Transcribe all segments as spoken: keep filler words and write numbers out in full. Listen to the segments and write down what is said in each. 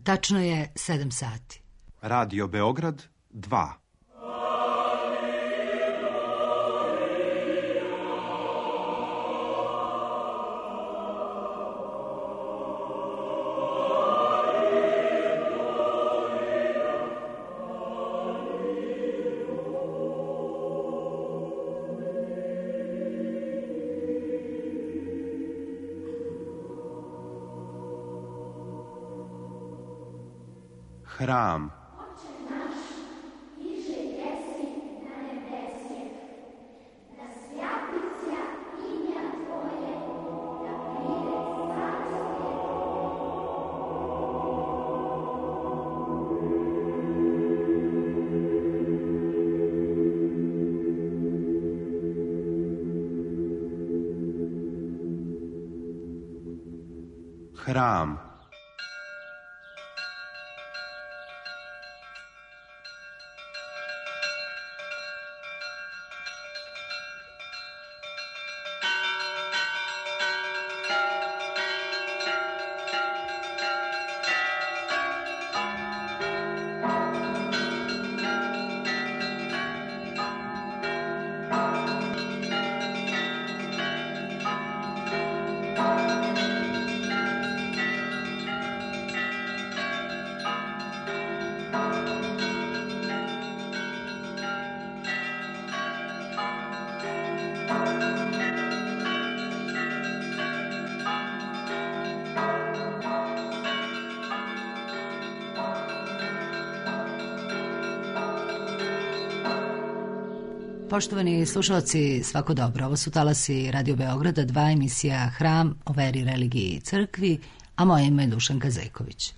Tačno je sedam sati. Radio Beograd dva. Hram. Hram. Poštovani slušalci, svako dobro. Ovo su talasi Radio Beograda, dva, emisija Hram o veri, religiji i crkvi, a moje ime je Dušanka Zejković.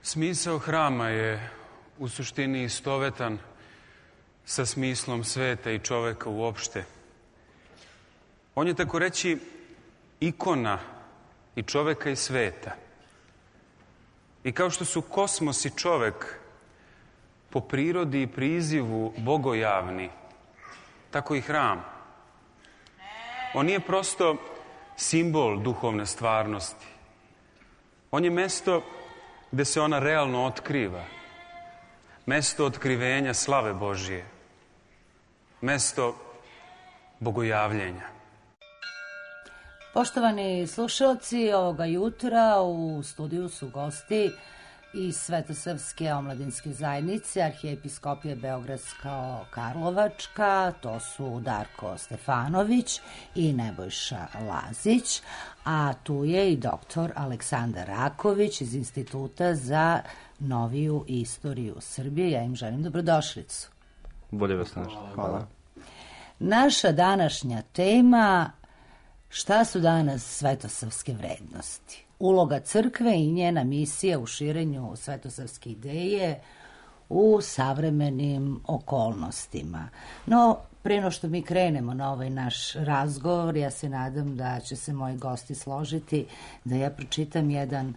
Smisao hrama je u suštini istovetan sa smislom sveta i čoveka uopšte. On je, tako reći, ikona i čoveka i sveta. I kao što su kosmos i čovek po prirodi i prizivu bogojavni, tako i hram. On nije prosto simbol duhovne stvarnosti. On je mesto gde se ona realno otkriva. Mesto otkrivenja slave Božije. Mesto bogojavljenja. Poštovani slušalci, ovoga jutra u studiju su gosti iz Svetosavske omladinske zajednice, Arhijepiskopije Beogradsko-Karlovačka, to su Darko Stefanović i Nebojša Lazić, a tu je i doktor Aleksandar Raković iz Instituta za noviju istoriju Srbije. Ja im želim dobrodošlicu. Bolje vas našli. Hvala. Naša današnja tema: šta su danas svetosavske vrednosti? Uloga crkve i njena misija u širenju svetosavske ideje u savremenim okolnostima. No, pre no što mi krenemo na ovaj naš razgovor, ja se nadam da će se moji gosti složiti da ja pročitam jedan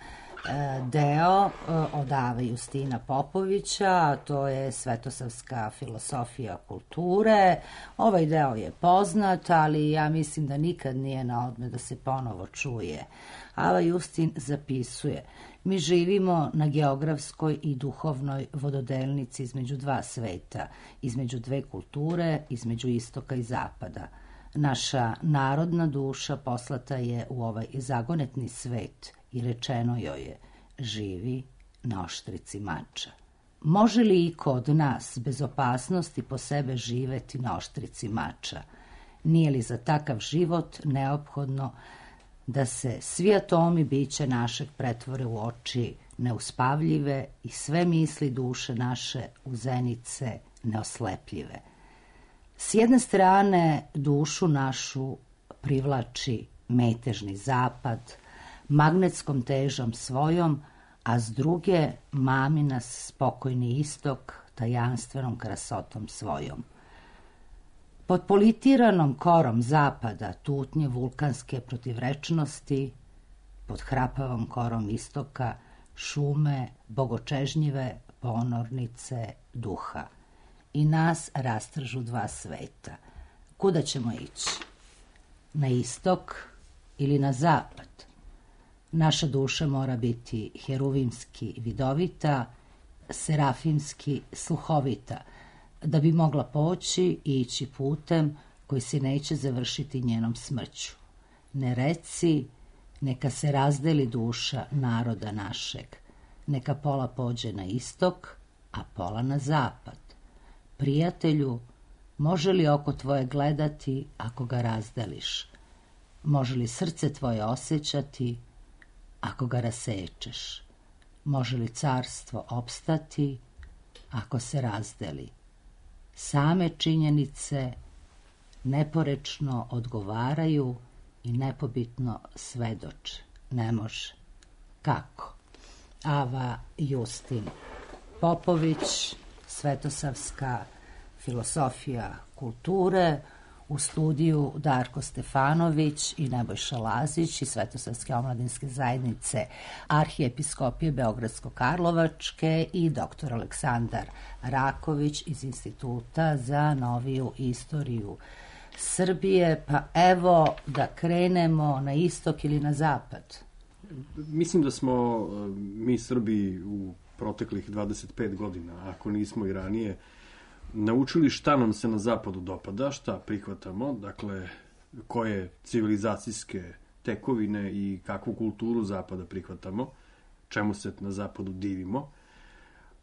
deo od Ava Justina Popovića, a to je Svetosavska filosofija kulture. Ovaj deo je poznat, ali ja mislim da nikad nije na odmet da se ponovo čuje. Ava Justin zapisuje: mi živimo na geografskoj i duhovnoj vododelnici između dva sveta, između dve kulture, između istoka i zapada. Naša narodna duša poslata je u ovaj zagonetni svet i rečeno joj je: živi na oštrici mača. Može li iko od nas bez opasnosti po sebe živeti na oštrici mača? Nije li za takav život neophodno da se svi atomi bića našeg pretvore u oči neuspavljive i sve misli duše naše u zenice neoslepljive? S jedne strane dušu našu privlači metežni zapad, magnetskom težom svojom, a s druge mami nas spokojni istok tajanstvenom krasotom svojom. Pod politiranom korom zapada tutnje vulkanske protivrečnosti, pod hrapavom korom istoka šume bogočežnjive ponornice duha. I nas rastržu dva sveta. Kuda ćemo ići? Na istok ili na zapad? Naša duša mora biti heruvimski vidovita, serafimski sluhovita, da bi mogla poći i ići putem koji se neće završiti njenom smrću. Ne reci, neka se razdeli duša naroda našeg, neka pola pođe na istok, a pola na zapad. Prijatelju, može li oko tvoje gledati ako ga razdeliš? Može li srce tvoje osjećati ako ga rasečeš? Može li carstvo opstati ako se razdeli? Same činjenice neporečno odgovaraju i nepobitno svedoče. Ne može. Kako? Ava Justin Popović, Svetosavska filosofija kulture, u studiju Darko Stefanović i Nebojša Lazić iz Svetosavske omladinske zajednice Arhijepiskopije Beogradsko-Karlovačke i doktor Aleksandar Raković iz Instituta za noviju istoriju Srbije. Pa evo da krenemo na istok ili na zapad. Mislim da smo mi Srbi u proteklih dvadeset pet godina, ako nismo i ranije, naučili šta nam se na zapadu dopada, šta prihvatamo, dakle, koje civilizacijske tekovine i kakvu kulturu zapada prihvatamo, čemu se na zapadu divimo,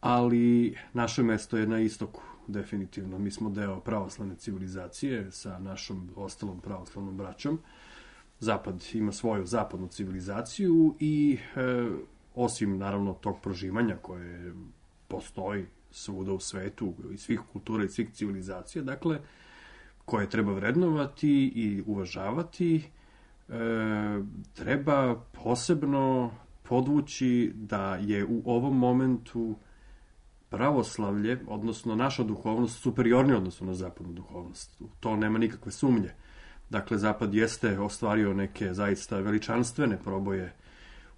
ali naše mesto je na istoku, definitivno. Mi smo deo pravoslavne civilizacije sa našom ostalom pravoslavnom braćom. Zapad ima svoju zapadnu civilizaciju i e, osim, naravno, tog prožimanja koje postoji svuda u svetu, iz svih kultura i svih civilizacija, dakle, koje treba vrednovati i uvažavati, e, treba posebno podvući da je u ovom momentu pravoslavlje, odnosno naša duhovnost, superiornija odnosno na zapadnu duhovnost. U to nema nikakve sumnje. Dakle, Zapad jeste ostvario neke zaista veličanstvene proboje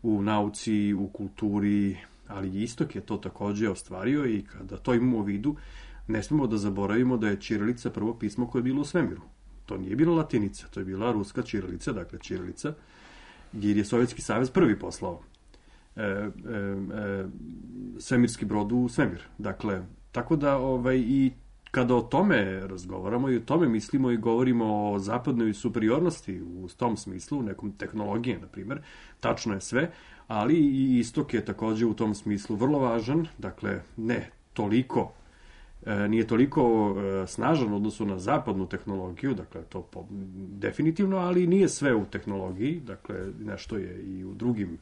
u nauci, u kulturi, ali istok je to takođe ostvario i kada to imamo u vidu, ne smemo da zaboravimo da je ćirilica prvo pismo koje je bilo u svemiru. To nije bila latinica, to je bila ruska ćirilica, dakle ćirilica, jer je Sovjetski savez prvi poslao e, e, e, svemirski brod u svemir. Dakle, tako da ovaj, i kada o tome razgovaramo i o tome mislimo i govorimo o zapadnoj superiornosti u tom smislu, nekom tehnologije, na primjer, tačno je sve, ali i istok je takođe u tom smislu vrlo važan, dakle, ne toliko, e, nije toliko e, snažan u odnosu na zapadnu tehnologiju, dakle, to po, definitivno, ali nije sve u tehnologiji, dakle, nešto je i u drugim,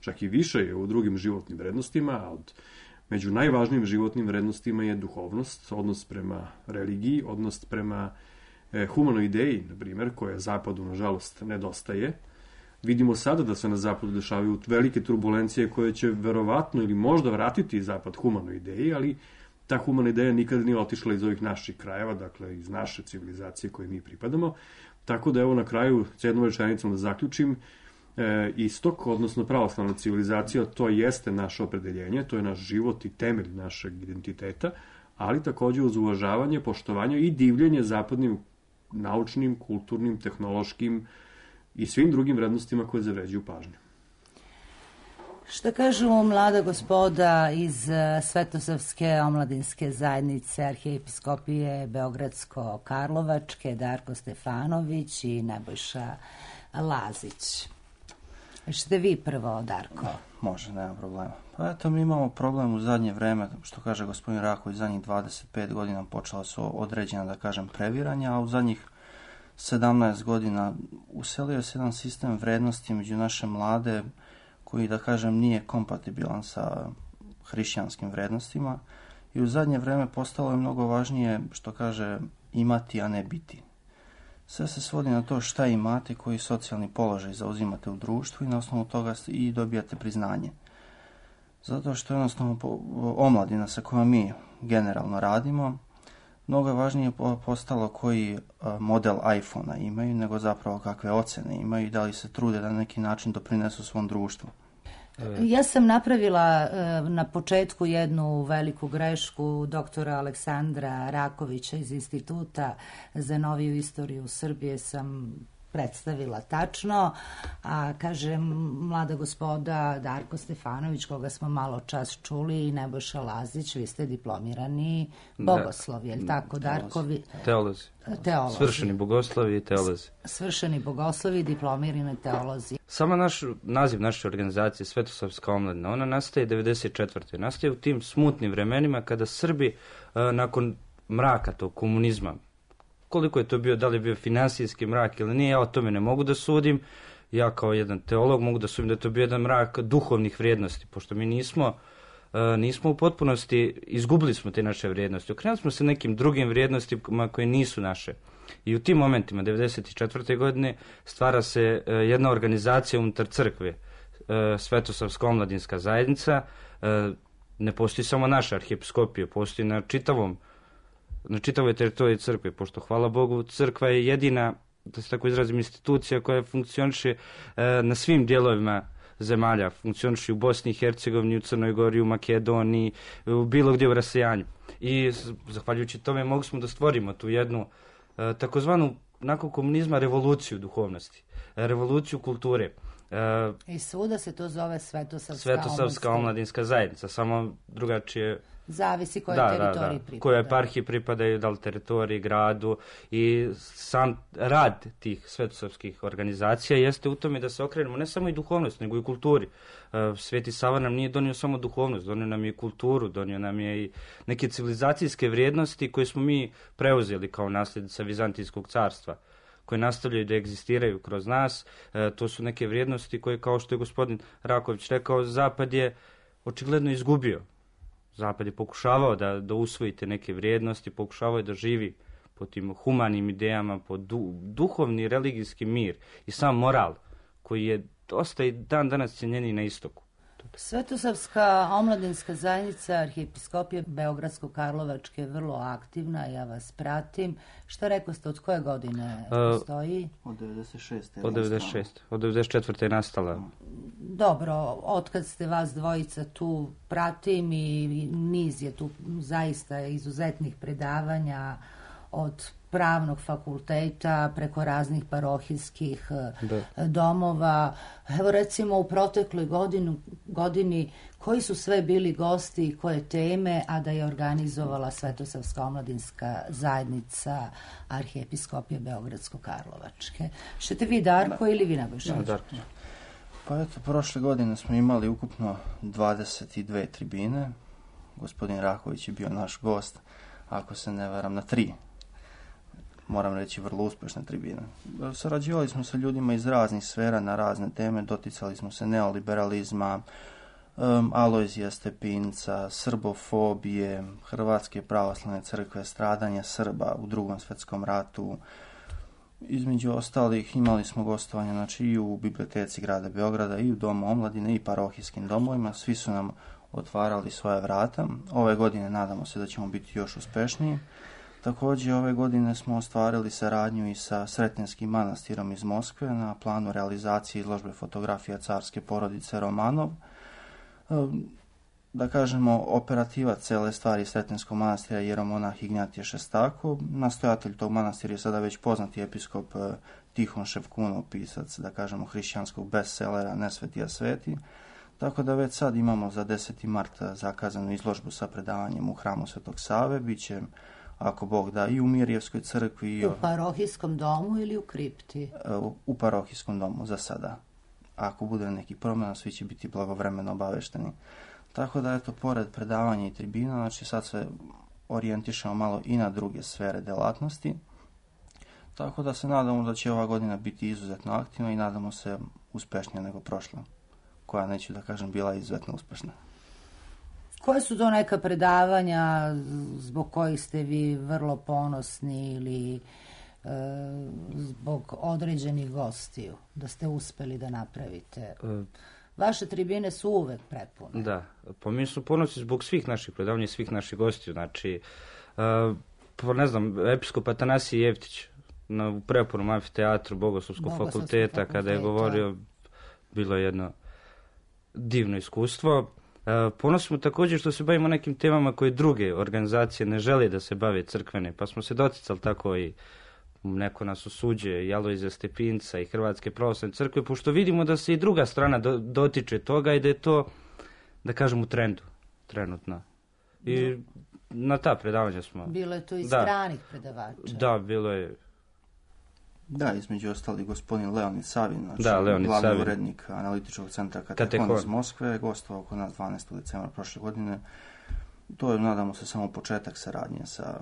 čak i više je u drugim životnim vrednostima, a od među najvažnijim životnim vrednostima je duhovnost, odnos prema religiji, odnos prema e, humanoj ideji, na primjer, koja Zapadu, nažalost, nedostaje. Vidimo sada da se na Zapadu dešavaju velike turbulencije koje će verovatno ili možda vratiti Zapad humanoj ideji, ali ta humana ideja nikada nije otišla iz ovih naših krajeva, dakle iz naše civilizacije koje mi pripadamo. Tako da evo na kraju s jednom rečenicom da zaključim, e, istok, odnosno pravoslavna civilizacija, to jeste naše opredeljenje, to je naš život i temelj našeg identiteta, ali takođe uz uvažavanje, poštovanje i divljenje zapadnim naučnim, kulturnim, tehnološkim i svim drugim vrednostima koje zavređuju pažnju. Šta kažu mlada gospoda iz Svetosavske omladinske zajednice Arhijepiskopije Beogradsko-Karlovačke, Darko Stefanović i Nebojša Lazić? Što vi prvo, Darko? Može, nema problema. Pa eto, mi imamo problem u zadnje vreme, što kaže gospodin Raković, zadnjih dvadeset pet godina počela su određena, da kažem, previranja, a u zadnjih sedamnaest godina uselio se jedan sistem vrednosti među naše mlade koji, da kažem, nije kompatibilan sa hrišćanskim vrednostima i u zadnje vreme postalo je mnogo važnije, što kaže, imati, a ne biti. Sve se svodi na to šta imate, koji socijalni položaj zauzimate u društvu i na osnovu toga i dobijate priznanje. Zato što jednostavno omladina sa kojom mi generalno radimo, mnogo je važnije postalo koji model iPhona imaju, nego zapravo kakve ocene imaju i da li se trude da na neki način doprinesu svom društvu. Ja sam napravila na početku jednu veliku grešku doktora Aleksandra Rakovića iz Instituta za noviju istoriju Srbije sam predstavila tačno, a kažem mlada gospoda Darko Stefanović, koga smo malo čas čuli, i Nebojša Lazić, vi ste diplomirani bogoslovi, je li tako, Darko? Teolozi. Teolozi. Svršeni bogoslovi i teolozi. Svršeni bogoslovi i diplomirani teolozi. Sama naš, naziv naše organizacije, Svetosavska omladina, ona nastaje devedeset četvrte Nastaje u tim smutnim vremenima kada Srbi, nakon mraka tog komunizma, koliko je to bio, da li je bio finansijski mrak ili nije, ja o tome ne mogu da sudim. Ja kao jedan teolog mogu da sudim da je to bio jedan mrak duhovnih vrijednosti, pošto mi nismo, nismo u potpunosti, izgubili smo te naše vrijednosti. Okrenuli smo se nekim drugim vrijednostima koje nisu naše. I u tim momentima, devedeset četvrte godine, stvara se jedna organizacija unutar crkve, Svetosavska omladinska zajednica. Ne postoji samo naša arhijepiskopija, postoji na čitavom na čitavoj teritoriji crkve, pošto, hvala Bogu, crkva je jedina, da se tako izrazim, institucija koja funkcioniše e, na svim dijelovima zemalja, funkcioniše u Bosni i Hercegovini, u Crnoj Gori, u Makedoniji, u bilo gdje u rasejanju. I zahvaljujući tome mogli smo da stvorimo tu jednu e, takozvanu, nakon komunizma, revoluciju duhovnosti, e, revoluciju kulture. E, I svuda se to zove Svetosavska, Svetosavska omladinska zajednica, samo drugačije. Zavisi kojoj da, teritoriji da, da. pripadaju. Kojoj eparhiji pripadaju, da li teritoriji, gradu, i sam rad tih svetosavskih organizacija jeste u tome da se okrenemo ne samo i duhovnost, nego i kulturi. Sveti Sava nam nije donio samo duhovnost, donio nam je i kulturu, donio nam je i neke civilizacijske vrijednosti koje smo mi preuzeli kao nasljednica Vizantijskog carstva, koje nastavljaju da egzistiraju kroz nas. To su neke vrijednosti koje, kao što je gospodin Raković rekao, Zapad je očigledno izgubio. Zapad je pokušavao da, da usvojite neke vrijednosti, pokušavao je da živi po tim humanim idejama, po du, duhovni religijski mir i sam moral, koji je dosta i dan danas cijenjeni na istoku. Svetosavska omladinska zajednica Arhijepiskopije Beogradsko-Karlovačke je vrlo aktivna, ja vas pratim. Šta rekao ste, od koje godine postoji? Uh, od devedeset šeste Od devedeset šeste Od devedeset četvrte je nastala. Dobro, otkad ste vas dvojica tu pratim i niz je tu zaista izuzetnih predavanja od pravnog fakulteta preko raznih parohijskih da. domova. Evo recimo u protekloj godinu, godini koji su sve bili gosti i koje teme, a da je organizovala Svetosavska omladinska zajednica Arhijepiskopije Beogradsko-Karlovačke. Šete vi, Darko, da. ili vi, Nebojša? Ja, Darko. Pa eto, prošle godine smo imali ukupno dvadeset dve tribine. Gospodin Raković je bio naš gost, ako se ne varam, na tri. Moram reći, vrlo uspešne tribine. Sarađivali smo sa ljudima iz raznih sfera na razne teme, doticali smo se neoliberalizma, um, Alojzija Stepinca, srbofobije, Hrvatske pravoslavne crkve, stradanja Srba u Drugom svjetskom ratu. Između ostalih imali smo gostovanje, znači, i u biblioteci grada Beograda, i u Domu omladine, i parohijskim domovima. Svi su nam otvarali svoje vrata. Ove godine nadamo se da ćemo biti još uspešniji. Također ove godine smo ostvarili saradnju i sa Sretenskim manastirom iz Moskve na planu realizacije izložbe fotografija carske porodice Romanov. Da kažemo, operativac cele stvari Sretenskog manastira je jeromonah Ignjatije Šestakov. Nastojatelj tog manastira je sada već poznati episkop Tihon Ševkunov, pisac, da kažemo, hrišćanskog bestsellera Nesvetija sveti. Tako da već sad imamo za deseti marta zakazanu izložbu sa predavanjem u hramu Svetog Save. Biće, ako Bog da, i u Mirjevskoj crkvi. I u parohijskom domu ili u kripti? U, u parohijskom domu za sada. Ako bude neki promjena, svi će biti blagovremeno obavešteni. Tako da, eto, pored predavanja i tribina, znači sad se orijentišemo malo i na druge sfere delatnosti. Tako da se nadamo da će ova godina biti izuzetno aktivna i nadamo se uspešnija nego prošla, koja, neću da kažem, bila izuzetno uspešna. Koje su to neka predavanja zbog kojih ste vi vrlo ponosni ili e, zbog određenih gostiju da ste uspeli da napravite? Vaše tribine su uvek prepune. Da, pa mi smo ponosni zbog svih naših predavanja i svih naših gostiju. Znači, uh, ne znam, episkop Atanasije Jevtić na, u prepunom amfiteatru Bogoslovskog fakulteta, fakulteta, kada je govorio, bilo je jedno divno iskustvo. Uh, ponosni smo također što se bavimo nekim temama koje druge organizacije ne žele da se bave crkvene, pa smo se doticali tako i neko nas osuđuje, Alojzija Stepinca i Hrvatske pravoslavne crkve, pošto vidimo da se i druga strana do, dotiče toga i da je to, da kažem, u trendu, trenutno. I da. Na ta predavanja smo... Bilo je to i da. stranih predavača. Da, bilo je... Da, između ostali gospodin Leonid Savin, znači da, Leonid glavni Savin. urednik analitičkog centra Katekon iz Moskve, gostovao kod nas dvanaestog decembra prošle godine. To je, nadamo se, samo početak saradnje sa,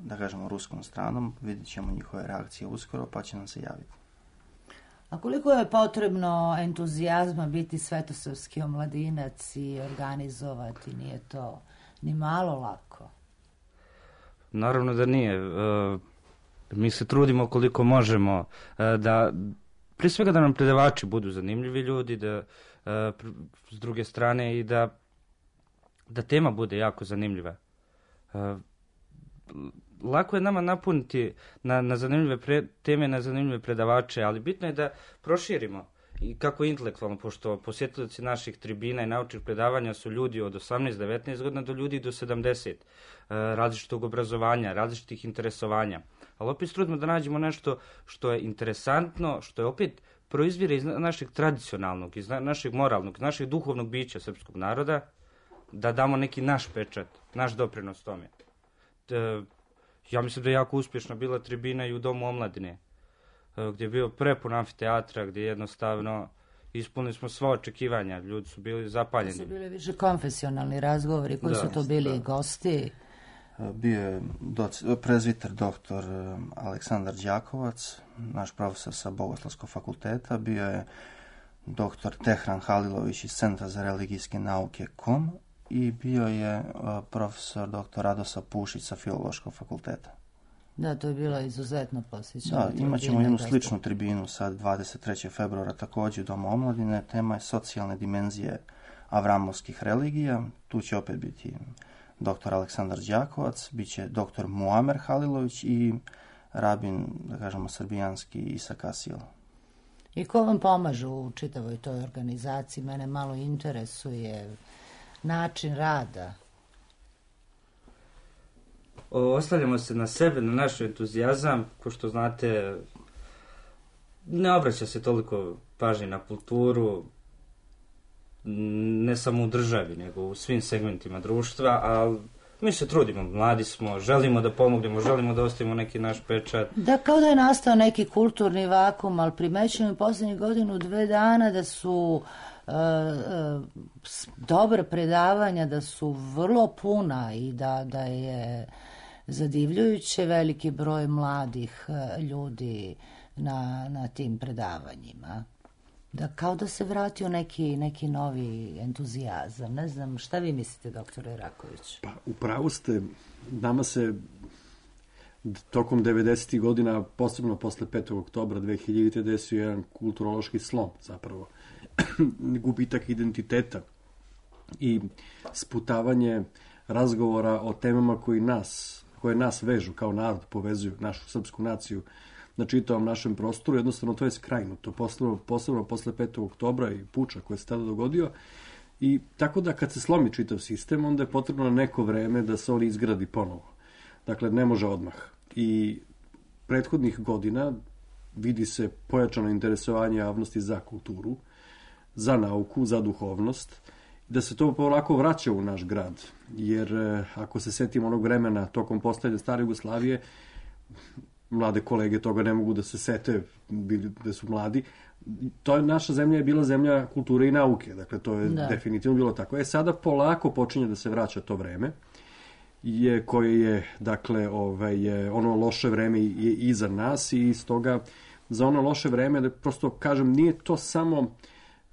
da kažemo, ruskom stranom. Vidjet ćemo njihove reakcije uskoro, pa će nam se javiti. A koliko je potrebno entuzijazma biti svetosavski omladinac i organizovati? Nije to ni malo lako. Naravno da nije. E, mi se trudimo koliko možemo e, da, prije svega da nam predavači budu zanimljivi ljudi, da e, s druge strane i da, da tema bude jako zanimljiva. E, Lako je nama napuniti na, na zanimljive pre, teme, na zanimljive predavače, ali bitno je da proširimo i kako intelektualno, pošto posjetitelji naših tribina i naučnih predavanja su ljudi od osamnaest do devetnaest godina do ljudi do sedamdeset, e, različitog obrazovanja, različitih interesovanja. Ali opet trudimo da nađemo nešto što je interesantno, što je opet proizvire iz našeg tradicionalnog, iz našeg moralnog, iz našeg duhovnog bića srpskog naroda, da damo neki naš pečat, naš doprinos tome. E, Ja mislim da je jako uspješna bila tribina i u Domu omladine, gdje je bio prepun amfiteatra, gdje jednostavno ispunili smo sva očekivanja, ljudi su bili zapaljeni. To su bili više konfesionalni razgovori, koji da, su to bili da. Gosti? Bio je doc- prezviter doktor Aleksandar Đakovac, naš profesor sa Bogoslovskog fakulteta, bio je doktor Tehran Halilović iz Centra za religijske nauke kom, i bio je uh, profesor doktor Radosa Pušić sa Filološkog fakulteta. Da, to je bilo izuzetno posjećano. Da, imat ćemo jednu sličnu tribinu sad dvadeset trećeg februara također u Domu omladine. Tema je socijalne dimenzije avramovskih religija. Tu će opet biti doktor Aleksandar Đakovac, bit će doktor Muamer Halilović i rabin, da kažemo, srbijanski Isak Asil. I ko vam pomaže u čitavoj toj organizaciji? Mene malo interesuje način rada. Ostavljamo se na sebe, na naš entuzijazam, ko što znate, ne obraća se toliko pažnje na kulturu, ne samo u državi, nego u svim segmentima društva, ali mi se trudimo, mladi smo, želimo da pomognemo, želimo da ostavimo neki naš pečat. Da, kao da je nastao neki kulturni vakum, ali primećujem u posljednjih godinu, dve dana da su Uh, uh, dobra predavanja, da su vrlo puna i da, da je zadivljujuće veliki broj mladih uh, ljudi na, na tim predavanjima. Da, kao da se vratio neki, neki novi entuzijazam. Ne znam, šta vi mislite, doktore Raković? Pa, upravo ste, nama se tokom devedesetih godina, posebno posle petog oktobra dve hiljadite. desio jedan kulturološki slom, zapravo gubitak identiteta i sputavanje razgovora o temama koji nas, koje nas vežu kao narod, povezuju našu srpsku naciju na čitavom našem prostoru, jednostavno to je skrajnuto, posebno, posebno posle petog oktobra i puča koji se tada dogodio. I tako da kad se slomi čitav sistem, onda je potrebno neko vreme da se on izgradi ponovo. Dakle, ne može odmah. I prethodnih godina vidi se pojačano interesovanje javnosti za kulturu, za nauku, za duhovnost, da se to polako vraća u naš grad. Jer ako se setimo onog vremena tokom postojanja stare Jugoslavije, mlade kolege toga ne mogu da se sete, bili da su mladi. To je, naša zemlja je bila zemlja kulture i nauke, dakle to je da. definitivno bilo tako. E sada polako počinje da se vraća to vreme, je, koje je, dakle, ovaj, je, ono loše vreme je iza nas i stoga za ono loše vreme, da prosto kažem, nije to samo,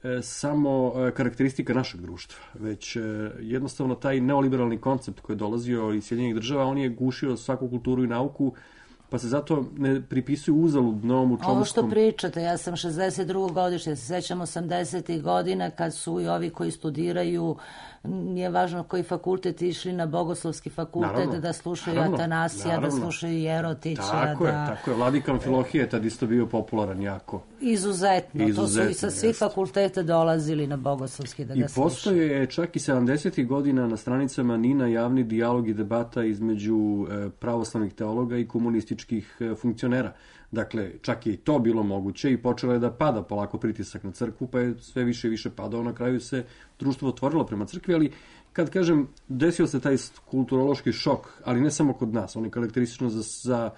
e, samo karakteristika našeg društva, već e, jednostavno taj neoliberalni koncept koji je dolazio iz Sjedinjenih država, on je gušio svaku kulturu i nauku, pa se zato ne pripisuju uzalud novom učomskom... Ovo što pričate, ja sam šezdeset drugog godište, se sećam osamdesetih godina kad su i ovi koji studiraju, nije važno koji fakultet, išli na Bogoslovski fakultet naravno, da slušaju naravno, Atanasija, naravno. da slušaju Jerotića. Tako da... je, tako je. Vladikan Amfilohije je tad isto bio popularan jako. Izuzetno, Izuzetno to su i sa svih jest. fakulteta dolazili na Bogoslovski da ga slušaju. I postoje čak i sedamdesetih godina na stranicama Nina javni dijalog i debata između pravoslavnih teologa i komunističkih funkcionera. Dakle, čak je i to bilo moguće i počelo je da pada polako pritisak na crkvu, pa je sve više i više padao. Na kraju se društvo otvorilo prema crkvi, ali kad kažem, desio se taj kulturološki šok, ali ne samo kod nas, on je karakteristično za, za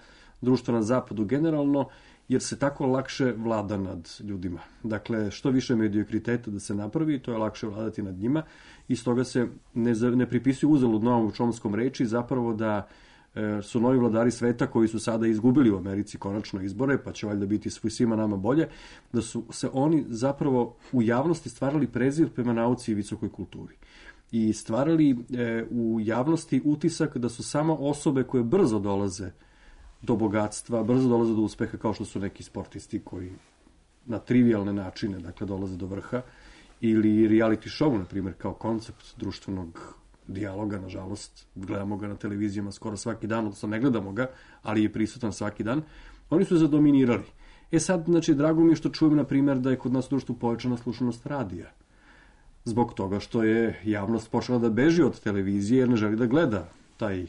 društvo na zapadu generalno, jer se tako lakše vlada nad ljudima. Dakle, što više mediokriteta da se napravi, to je lakše vladati nad njima i stoga se ne, ne pripisuju uzalud novom učomskom reči, zapravo da su novi vladari sveta koji su sada izgubili u Americi konačno izbore, pa će valjda biti svima nama bolje, da su se oni zapravo u javnosti stvarali prezir prema nauci i visokoj kulturi. I stvarali e, u javnosti utisak da su samo osobe koje brzo dolaze do bogatstva, brzo dolaze do uspeha, kao što su neki sportisti koji na trivialne načine, dakle, dolaze do vrha, ili reality show, na primjer, kao koncept društvenog dijaloga, nažalost, gledamo ga na televizijama skoro svaki dan, odnosno ne gledamo ga, ali je prisutan svaki dan, oni su zadominirali. E sad, znači, drago mi je što čujem, na primjer, da je kod nas u društvu povećana slušanost radija. Zbog toga što je javnost počela da beži od televizije jer ne želi da gleda taj e,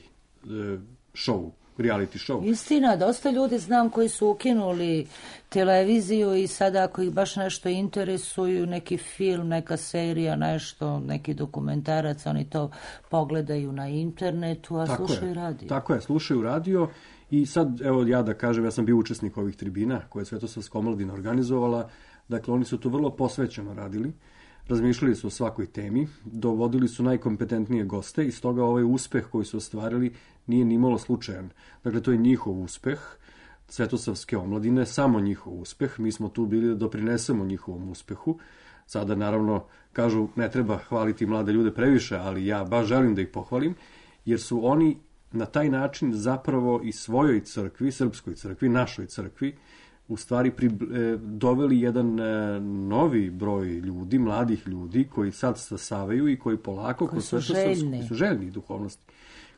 show, reality show. Istina, dosta ljudi znam koji su ukinuli televiziju i sada ako ih baš nešto interesuju, neki film, neka serija, nešto, neki dokumentarac, oni to pogledaju na internetu, a tako slušaju je, radio. Tako je, slušaju radio i sad, evo ja da kažem, ja sam bio učesnik ovih tribina koje je Svetosavska omladina organizovala, dakle oni su to vrlo posvećeno radili. Razmišljali su o svakoj temi, dovodili su najkompetentnije goste i stoga ovaj uspeh koji su ostvarili nije ni malo slučajan. Dakle, to je njihov uspeh, Svetosavske omladine, samo njihov uspeh. Mi smo tu bili da doprinesemo njihovom uspehu. Sada, naravno, kažu, ne treba hvaliti mlade ljude previše, ali ja baš želim da ih pohvalim, jer su oni na taj način zapravo i svojoj crkvi, srpskoj crkvi, našoj crkvi, u stvari pri, e, doveli jedan e, novi broj ljudi, mladih ljudi koji sad stasavaju i koji polako koji su željni, su željni duhovnosti.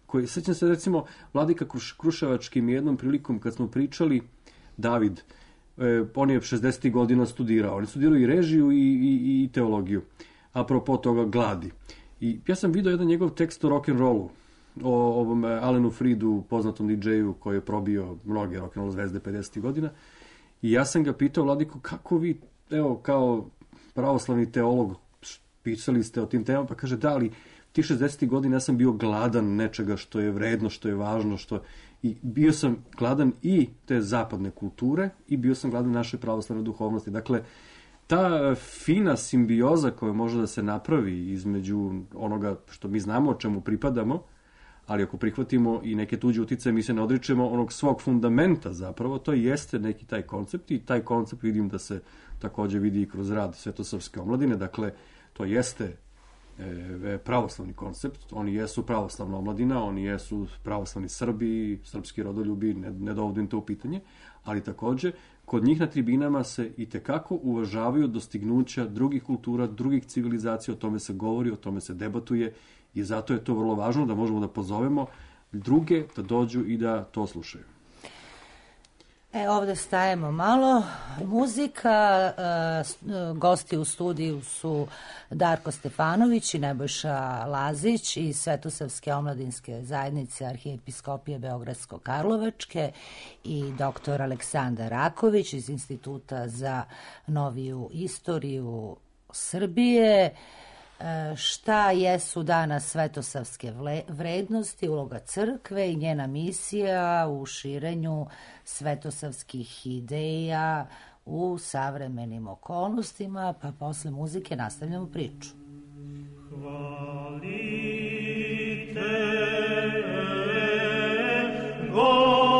Koji, sećam se recimo Vladika Kruš, Kruševačkim jednom prilikom kad smo pričali, David, e, on je šezdesetih godina studirao, on je studirao i režiju i, i, i teologiju, apropo toga gladi. I ja sam vidio jedan njegov tekst o rock'n'rollu, o ovom Alenu Fridu, poznatom di džeju koji je probio mnoge rock'n'roll zvezde pedesetih godina. I ja sam ga pitao, Vladiko, kako vi, evo, kao pravoslavni teolog, pisali ste o tim temama, pa kaže, da li ti šezdesetih godina ja sam bio gladan nečega što je vredno, što je važno, što... I bio sam gladan i te zapadne kulture i bio sam gladan naše pravoslavne duhovnosti. Dakle, ta fina simbioza koja može da se napravi između onoga što mi znamo, o čemu pripadamo, ali ako prihvatimo i neke tuđe uticaje, mi se ne odričemo onog svog fundamenta zapravo, to jeste neki taj koncept i taj koncept vidim da se takođe vidi i kroz rad Svetosavske omladine, dakle, to jeste e, pravoslavni koncept, oni jesu pravoslavna omladina, oni jesu pravoslavni Srbi, srpski rodoljubi, ne, ne dovodim to u pitanje, ali takođe, kod njih na tribinama se i tekako uvažavaju dostignuća drugih kultura, drugih civilizacija, o tome se govori, o tome se debatuje, i zato je to vrlo važno da možemo da pozovemo druge da dođu i da to slušaju. E, ovde stajemo malo. Muzika, e, gosti u studiju su Darko Stefanović i Nebojša Lazić iz Svetosavske omladinske zajednice Arhijepiskopije Beogradsko-Karlovačke i doktor Aleksandar Raković iz Instituta za noviju istoriju Srbije. Šta jesu danas svetosavske vrednosti, uloga crkve i njena misija u širenju svetosavskih ideja u savremenim okolnostima, pa posle muzike nastavljamo priču. Hvalite Gospod.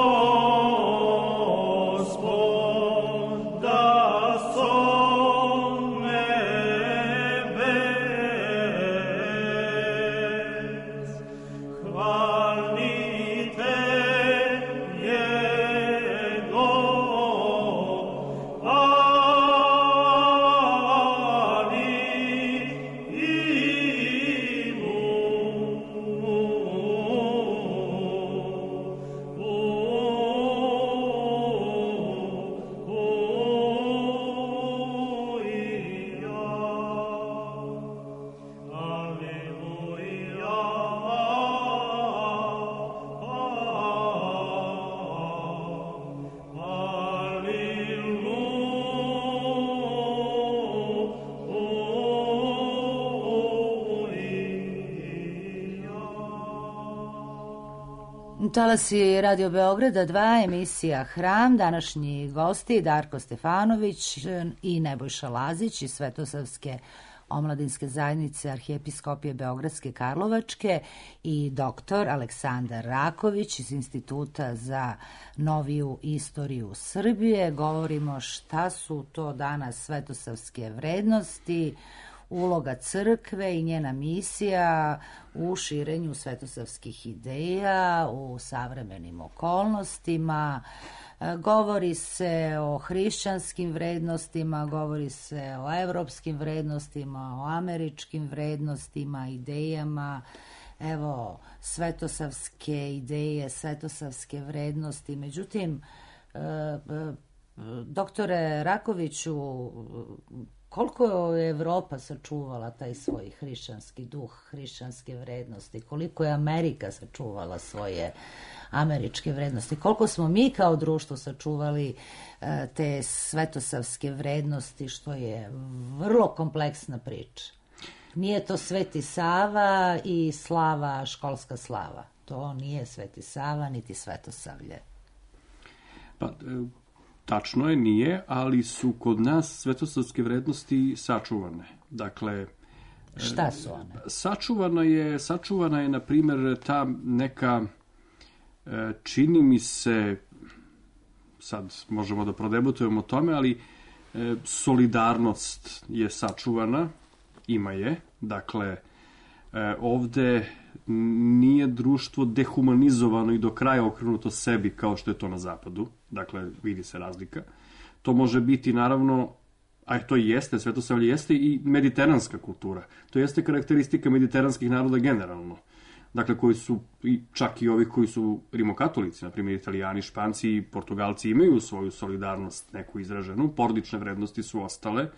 Talasi Radio Beograda dva, emisija Hram, današnji gosti Darko Stefanović i Nebojša Lazić iz Svetosavske omladinske zajednice Arhijepiskopije Beogradske Karlovačke i doktor Aleksandar Raković iz Instituta za noviju istoriju Srbije. Govorimo šta su to danas svetosavske vrednosti, uloga crkve i njena misija u širenju svetosavskih ideja u savremenim okolnostima. Govori se o hrišćanskim vrednostima, govori se o evropskim vrednostima, o američkim vrednostima, idejama. Evo, svetosavske ideje, svetosavske vrednosti. Međutim, doktore Rakoviću, koliko je Evropa sačuvala taj svoj hrišćanski duh, hrišćanske vrednosti, koliko je Amerika sačuvala svoje američke vrednosti, koliko smo mi kao društvo sačuvali te svetosavske vrednosti, što je vrlo kompleksna priča. Nije to Sveti Sava i slava, školska slava. To nije Sveti Sava, niti Svetosavlje. Pa, tačno je, nije, ali su kod nas svetosavske vrednosti sačuvane. Dakle, šta su one? Sačuvano je, sačuvana je, na primjer, ta neka, čini mi se, sad možemo da prodebutujemo o tome, ali solidarnost je sačuvana, ima je. Dakle, ovde nije društvo dehumanizovano i do kraja okrenuto sebi kao što je to na zapadu. Dakle, vidi se razlika. To može biti, naravno, a to i jeste, Svetosavlje jeste i mediteranska kultura. To jeste karakteristika mediteranskih naroda generalno. Dakle, koji su, čak i ovi koji su rimokatolici, na primjer Italijani, Španci i Portugalci imaju svoju solidarnost neku izraženu, porodične vrednosti su ostale,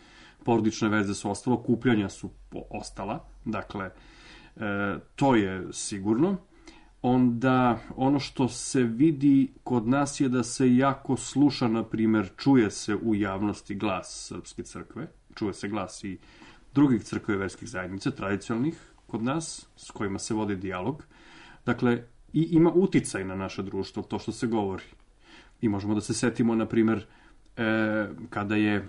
porodične veze su ostale, okupljanja su ostala, dakle, e, to je sigurno. Onda ono što se vidi kod nas je da se jako sluša, na primjer, čuje se u javnosti glas Srpske crkve, čuje se glas i drugih crkve i verskih zajednica, tradicionalnih kod nas, s kojima se vodi dijalog. Dakle, i ima uticaj na naše društvo, to što se govori. I možemo da se setimo, na primjer, e, kada je e,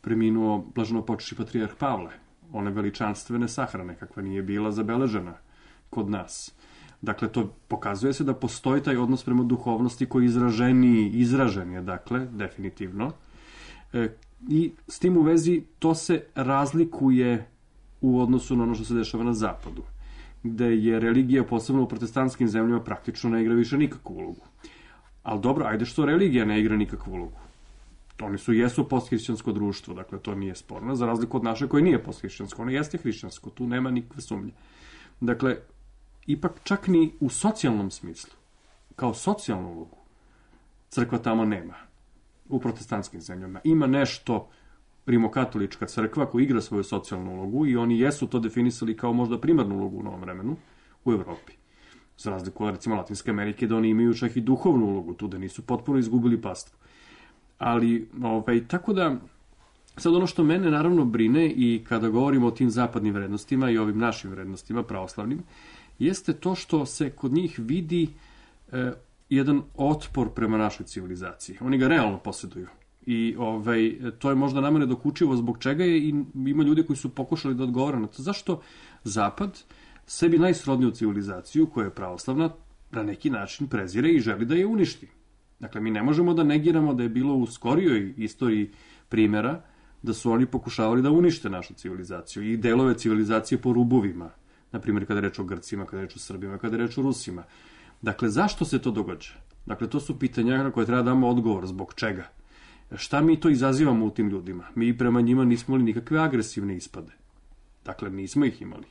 preminuo blaženopočivši patrijarh Pavle, one veličanstvene sahrane, kakva nije bila zabeležena kod nas. Dakle, to pokazuje se da postoji taj odnos prema duhovnosti koji je izraženiji, izražen je, dakle, definitivno. E, I s tim u vezi to se razlikuje u odnosu na ono što se dešava na zapadu, gde je religija, posebno u protestantskim zemljama, praktično ne igra više nikakvu ulogu. Ali dobro, ajde što religija ne igra nikakvu ulogu. Oni su, jesu posthrišćansko društvo, dakle, to nije sporno, za razliku od naše koje nije posthrišćansko, ono jeste hrišćansko, tu nema nikakve sumnje. Dakle, ipak čak ni u socijalnom smislu, kao socijalnu ulogu, crkva tamo nema. U protestantskim zemljama ima nešto rimokatolička crkva koja igra svoju socijalnu ulogu i oni jesu to definisali kao možda primarnu ulogu u novom vremenu u Evropi. Za razliku od, recimo, Latinske Amerike, da oni imaju čak i duhovnu ulogu tu, da nisu potpuno izgubili pastvu. Ali, ovaj, tako da, sad ono što mene naravno brine i kada govorimo o tim zapadnim vrednostima i ovim našim vrednostima, pravoslavnim, jeste to što se kod njih vidi e, jedan otpor prema našoj civilizaciji. Oni ga realno posjeduju. I ovaj, to je možda nama nedokučivo zbog čega je i ima ljudi koji su pokušali da odgovore na to. Zašto Zapad sebi najsrodniju civilizaciju, koja je pravoslavna, na neki način prezire i želi da je uništi. Dakle, mi ne možemo da negiramo da je bilo u skorijoj istoriji primjera da su oni pokušavali da unište našu civilizaciju i delove civilizacije po rubovima. Naprimjer, kada je reč o Grcima, kada je reč o Srbima, kada je reč o Rusima. Dakle, zašto se to događa? Dakle, to su pitanja na koje treba da damo odgovor. Zbog čega? Šta mi to izazivamo u tim ljudima? Mi prema njima nismo imali nikakve agresivne ispade. Dakle, nismo ih imali.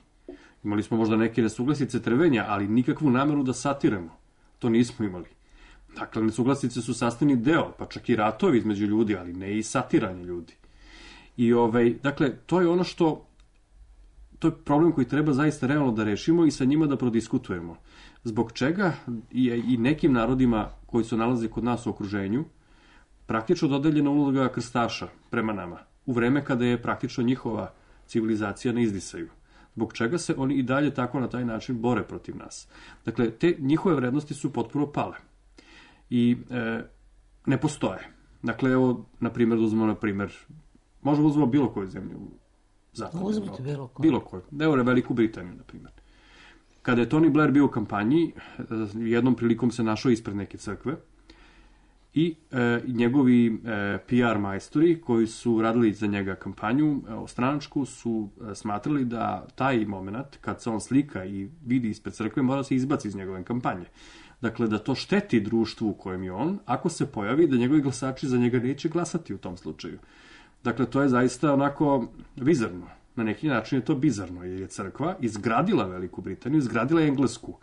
Imali smo možda neke nesuglasice trvenja, ali nikakvu nameru da satiramo. To nismo imali. Dakle, nesuglasice su sastavni deo, pa čak i ratovi između ljudi, ali ne i satiranje ljudi. I ovaj, dakle, to je ono što, to je problem koji treba zaista realno da rešimo i sa njima da prodiskutujemo. Zbog čega je i nekim narodima koji se nalaze kod nas u okruženju praktično dodeljena uloga krstaša prema nama, u vreme kada je praktično njihova civilizacija na izdisaju. Zbog čega se oni i dalje tako na taj način bore protiv nas. Dakle, te njihove vrednosti su potpuno pale. I e, ne postoje. Dakle, evo, na primjer, da uzmemo, na primjer, možemo uzmemo bilo koju zemlju u zapadnoj Evropi. Bilo koju. Bilo koju. Evo, Veliku Britaniju, na primjer. Kada je Tony Blair bio u kampanji, jednom prilikom se našao ispred neke crkve i e, njegovi e, P R majstori koji su radili za njega kampanju e, stranačku su e, smatrali da taj moment kad se on slika i vidi ispred crkve mora se izbaci iz njegove kampanje. Dakle, da to šteti društvu u kojem je on, ako se pojavi da njegovi glasači za njega neće glasati u tom slučaju. Dakle, to je zaista onako bizarno. Na neki način je to bizarno, jer je crkva izgradila Veliku Britaniju, izgradila Englesku.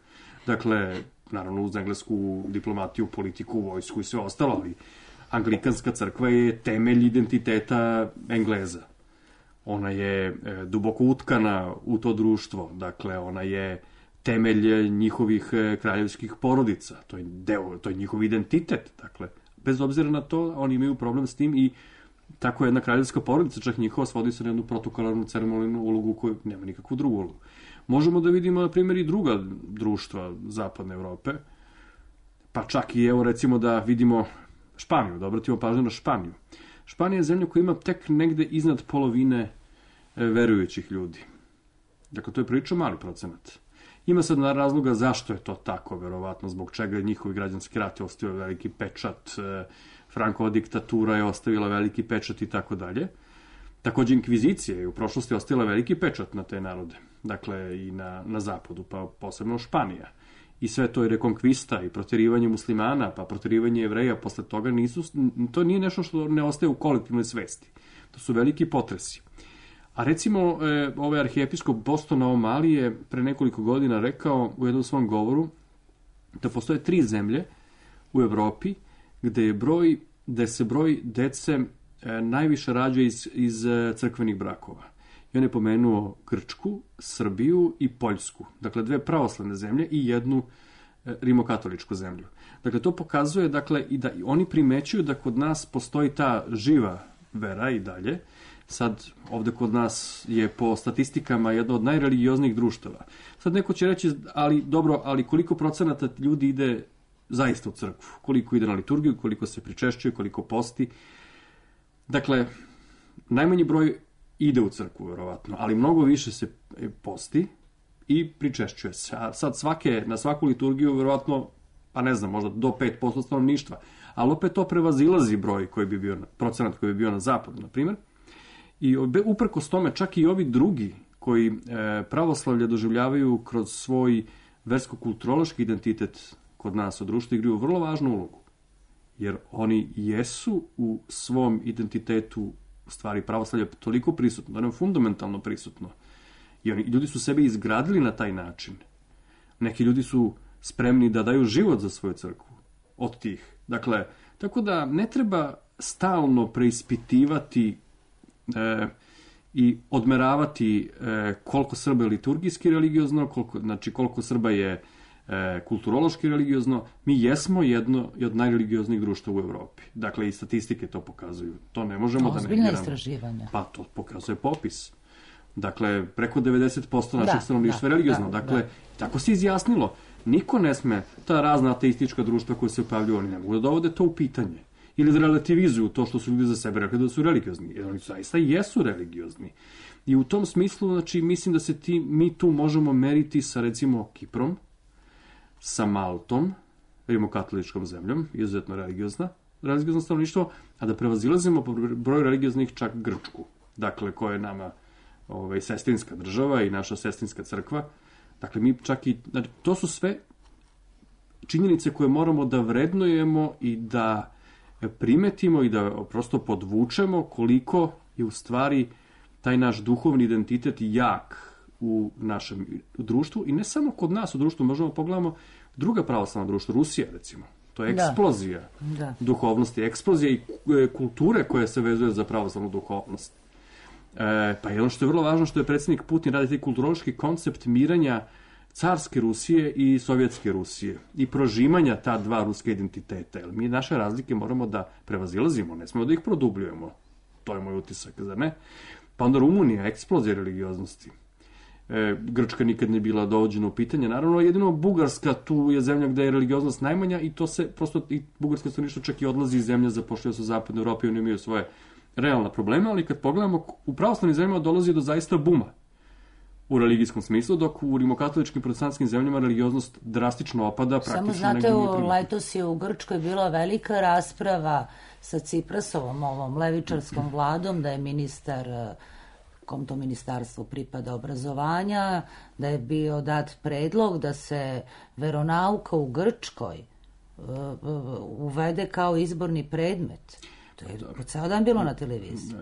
Dakle, naravno uz englesku diplomatiju, politiku, vojsku i sve ostalo, ali anglikanska crkva je temelj identiteta Engleza. Ona je e, duboko utkana u to društvo, dakle, ona je temelj njihovih e, kraljevskih porodica, to je deo, to je njihov identitet, dakle, bez obzira na to, oni imaju problem s tim i tako jedna kraljevska porodica, čak njihova, svodi se na jednu protokolarnu ceremonijnu ulogu koju nema nikakvu drugu ulogu. Možemo da vidimo, na primjer, i druga društva zapadne Evrope, pa čak i, evo, recimo da vidimo Španiju, da obratimo pažnju na Španiju. Španija je zemlja koja ima tek negde iznad polovine verujućih ljudi. Dakle, to je prilično mali procenat. Ima sad na razloga zašto je to tako, verovatno, zbog čega njihovi građanski rat je ostavio veliki pečat, Frankova diktatura je ostavila veliki pečat i tako dalje. Takođe, inkvizicija je u prošlosti ostavila veliki pečat na te narode, dakle i na, na zapadu, pa posebno Španija. I sve to je rekonkvista i proterivanje muslimana, pa proterivanje Jevreja posle toga nisu, to nije nešto što ne ostaje u kolektivnoj svesti. To su veliki potresi. A recimo, e, ovaj arhijepiskop Bostona O'Malley je pre nekoliko godina rekao u jednom svom govoru da postoje tri zemlje u Evropi gde je broj, gde se broj dece e, najviše rađa iz, iz e, crkvenih brakova. I on je pomenuo Grčku, Srbiju i Poljsku. Dakle, dve pravoslavne zemlje i jednu e, rimokatoličku zemlju. Dakle, to pokazuje, dakle, i da oni primećuju da kod nas postoji ta živa vera i dalje. Sad, ovde kod nas je po statistikama jedno od najreligioznijih društava. Sad neko će reći, ali dobro, ali koliko procenata ljudi ide zaista u crkvu? Koliko ide na liturgiju, koliko se pričešćuje, koliko posti? Dakle, najmanji broj ide u crkvu, verovatno, ali mnogo više se posti i pričešćuje se. A sad svake, na svaku liturgiju, verovatno, pa ne znam, možda do pet posto stanovništva. Ali opet to prevazilazi broj koji bi bio, procenat koji bi bio na zapadu, na primjer. I uprkos tome čak i ovi drugi koji e, pravoslavlje doživljavaju kroz svoj versko-kulturološki identitet kod nas u društvu igraju vrlo važnu ulogu. Jer oni jesu u svom identitetu u stvari pravoslavlje toliko prisutno, da je fundamentalno prisutno. I oni, ljudi su sebe izgradili na taj način. Neki ljudi su spremni da daju život za svoju crkvu od tih. Dakle, tako da ne treba stalno preispitivati e, i odmeravati e, koliko Srba je liturgijski religiozno, koliko, znači koliko Srba je e, kulturološki religiozno. Mi jesmo jedno od najreligioznijih društva u Evropi. Dakle, i statistike to pokazuju. To ne možemo da negiramo. Ozbiljna istraživanja. Pa to pokazuje popis. Dakle, preko devedeset posto našeg Da, stanovništva je da, religiozno. da, Dakle, da. tako se izjasnilo. Niko ne sme, ta razna ateistička društva koja se pojavljuju, oni ne mogu da dovode to u pitanje. Ili da relativizuju to što su ljudi za sebe rekli da su religiozni. Jer oni zaista jesu religiozni. I u tom smislu, znači, mislim da se ti, mi tu možemo meriti sa, recimo, Kiprom, sa Maltom, rimokatoličkom zemljom, izuzetno religiozna, religiozno stanovništvo, a da prevazilazimo po broju religioznih čak Grčku. Dakle, koja je nama ovaj, sestrinska država i naša sestrinska crkva. Dakle, mi čak i, znači, to su sve činjenice koje moramo da vrednujemo i da primetimo i da prosto podvučemo koliko je u stvari taj naš duhovni identitet jak u našem društvu i ne samo kod nas u društvu, možemo pogledamo druga pravoslavna društva, Rusija recimo. To je eksplozija da. Da. duhovnosti, eksplozija i kulture koja se vezuje za pravoslavnu duhovnost. E, pa jedno što je vrlo važno što je predsjednik Putin radi taj kulturološki koncept miranja carske Rusije i sovjetske Rusije i prožimanja ta dva ruska identiteta. Jer mi naše razlike moramo da prevazilazimo, ne smemo da ih produbljujemo. To je moj utisak, zar ne? Pa onda Rumunija, eksplozija religioznosti. E, Grčka nikad ne bila dovođena u pitanje. Naravno, jedino Bugarska tu je zemlja gde je religioznost najmanja i to se prosto, i Bugarska stanovništvo čak i odlazi iz zemlje, zapošljaju se u zapadnoj Evropi i oni imaju svoje realna problema, ali kad pogledamo, u pravoslavnim zemljama dolazi do zaista buma u religijskom smislu, dok u rimokatoličkim protestantskim zemljama religioznost drastično opada. Samo znate, u letos je u Grčkoj bila velika rasprava sa Ciprasovom, ovom levičarskom vladom, da je ministar, kom to ministarstvo pripada obrazovanja, da je bio dat predlog da se veronauka u Grčkoj uvede kao izborni predmet. To je po ceo dan bilo na televiziji.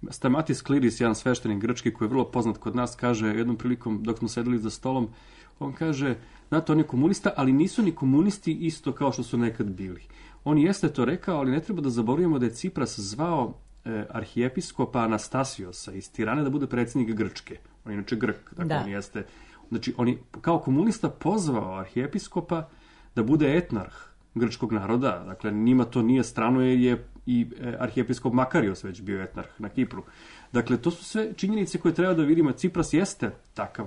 Stamatis Kliris, jedan sveštenik grčki koji je vrlo poznat kod nas, kaže jednom prilikom dok smo sedeli za stolom, on kaže, znate, on je komunista, ali nisu ni komunisti isto kao što su nekad bili. On jeste to rekao, ali ne treba da zaboravimo da je Cipras zvao e, arhijepiskopa Anastasiosa iz Tirane da bude predsjednik Grčke. On je inače Grk, dakle da. On jeste, znači on je kao komunista pozvao arhijepiskopa da bude etnarh grčkog naroda, dakle njima to nije strano jer je i arhijepiskop Makarios već bio etnarh na Kipru. Dakle, to su sve činjenice koje treba da vidimo. Cipras jeste takav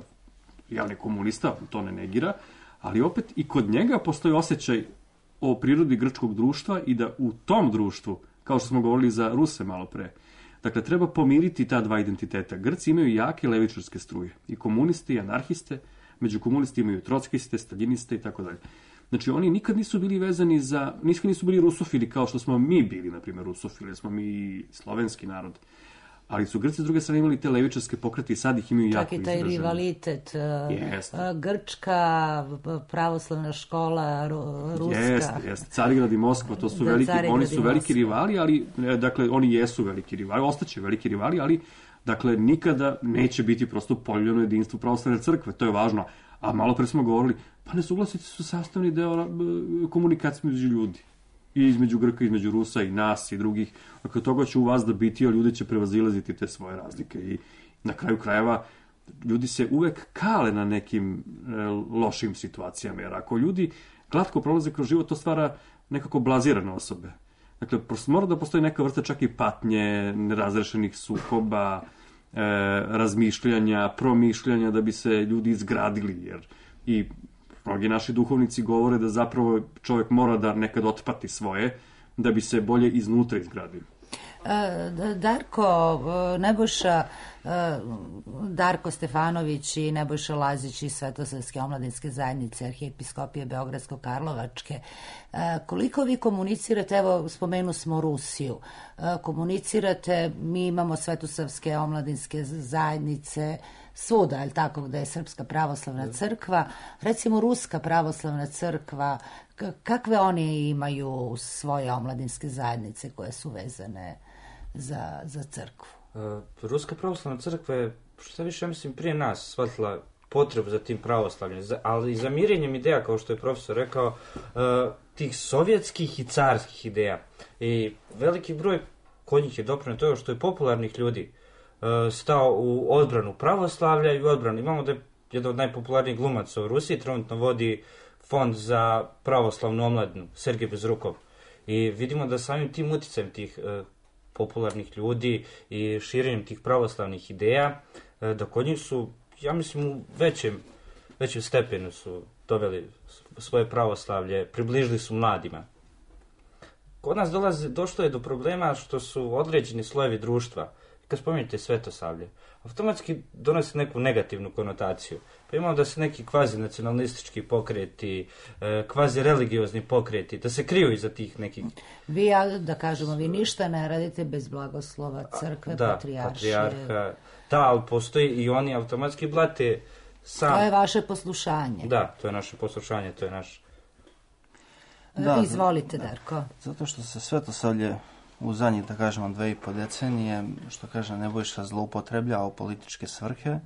javni komunista, to ne negira, ali opet i kod njega postoji osjećaj o prirodi grčkog društva i da u tom društvu, kao što smo govorili za Ruse malo pre, dakle, treba pomiriti ta dva identiteta. Grci imaju jake levičarske struje, i komunisti, i anarhiste, među komunisti imaju trockiste, staljiniste i tako dalje. Znači, oni nikad nisu bili vezani za, nikad nisu bili rusofili kao što smo mi bili, na primjer, rusofili, smo mi slovenski narod. Ali su Grci s druge strane imali te levičarske pokrete i sad ih imaju jako izražene. Čak i taj rivalitet, yes. Grčka, pravoslavna škola, ruska. Jeste, jeste. Carigrad i Moskva, to su da, veliki, oni su veliki rivali, ali, dakle, oni jesu veliki rivali, ostaće veliki rivali, ali, dakle, nikada neće biti prosto poljeno jedinstvo pravoslavne crkve, to je važno. A malo pre smo govorili, pa nesuglasice su sastavni deo komunikacije među ljudi. I između Grka, između Rusa i nas i drugih. Dakle, toga će u vas da biti, a ljudi će prevazilaziti te svoje razlike. I na kraju krajeva, ljudi se uvek kale na nekim e, lošim situacijama. Jer ako ljudi glatko prolaze kroz život, to stvara nekako blazirane osobe. Dakle, mora da postoji neka vrsta čak i patnje, nerazrešenih sukoba, e, razmišljanja, promišljanja da bi se ljudi izgradili. Jer i mnogi naši duhovnici govore da zapravo čovjek mora da nekad otpati svoje, da bi se bolje iznutra izgradio. Darko, Nebojša, Darko Stefanović i Nebojša Lazić iz Svetosavske omladinske zajednice Arhijepiskopije Beogradsko-Karlovačke, koliko vi komunicirate, evo spomenu smo Rusiju, komunicirate, mi imamo Svetosavske omladinske zajednice svuda, je li tako, gde je Srpska pravoslavna crkva, recimo Ruska pravoslavna crkva, kakve oni imaju svoje omladinske zajednice koje su vezane za, za crkvu? Uh, Ruska pravoslavna crkva je, što više, mislim, prije nas shvatila potrebu za tim pravoslavljem, za, ali i za mirenjem ideja, kao što je profesor rekao, uh, tih sovjetskih i carskih ideja. I veliki broj kod njih je doprinio to što je popularnih ljudi uh, stao u odbranu pravoslavlja i u odbranu. Imamo da je jedan od najpopularnijih glumaca u Rusiji, trenutno vodi fond za pravoslavnu omladinu, Sergej Bezrukov. I vidimo da samim tim uticajem tih uh, popularnih ljudi i širenjem tih pravoslavnih ideja, uh, da kod njih su, ja mislim, u većem, većem stepenu su doveli svoje pravoslavlje, približili su mladima. Kod nas dolazi, došlo je do problema što su određeni slojevi društva, kad spominjete svetosavlje, automatski donose neku negativnu konotaciju. Pa imamo da se neki kvazi nacionalistički pokreti, kvazi religiozni pokreti, da se kriju iza tih nekih... Vi, ja, da kažemo, vi ništa ne radite bez blagoslova crkve, da, patrijaršije. Patrijarha, da, ali postoji i oni automatski blate sam... To je vaše poslušanje. Da, to je naše poslušanje, to je naš... Da, izvolite, Darko. Zato što se svetosavlje u zadnjih, da kažemo, dve i po decenije, što kaže Nebojša, zloupotrebljava u političke svrhe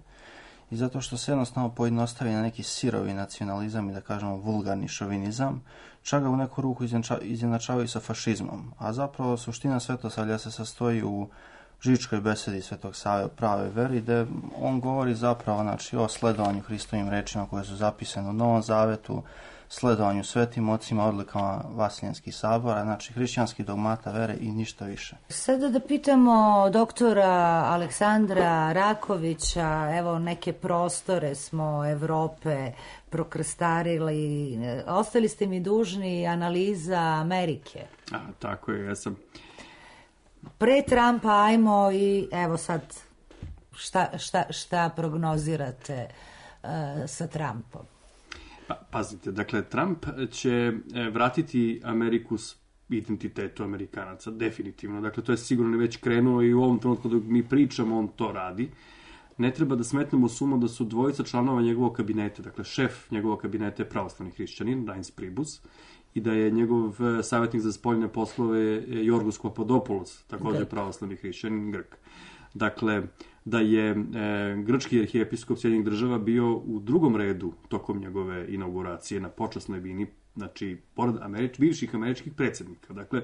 i zato što se jednostavno pojednostavi na neki sirovi nacionalizam i, da kažemo, vulgarni šovinizam, čak ga u neku ruku izjednačavaju sa fašizmom. A zapravo suština svetosavlja se sastoji u Žičkoj besedi Svetog Save o pravoj veri, gde on govori zapravo, znači, o sledovanju Hristovim rečima koje su zapisane u Novom Zavetu, sledovanju svetim ocima, odlikama Vasiljanskih sabora, znači hrišćanskih dogmata vere i ništa više. Sada da pitamo doktora Aleksandra Rakovića, evo neke prostore smo Evrope prokrstarili, ostali ste mi dužni analiza Amerike. A, tako je, ja sam... Pre Trumpa ajmo i evo sad šta, šta, šta prognozirate uh, sa Trumpom? Pa, pazite, dakle, Trump će vratiti Ameriku s identitetu Amerikanaca, definitivno. Dakle, to je sigurno već krenuo i u ovom trenutku dok mi pričamo, on to radi. Ne treba da smetnemo sumo da su dvojica članova njegovog kabineta, dakle, šef njegovog kabineta je pravoslavni hrišćanin, Reince Priebus, i da je njegov savjetnik za spoljne poslove Jorgos Papadopoulos, također pravoslavni hrišćanin, Grk. Dakle, da je e, grčki arhijepiskop Sjedinjenih Država bio u drugom redu tokom njegove inauguracije na počasnoj bini, znači, pored Američ, bivših američkih predsjednika. Dakle,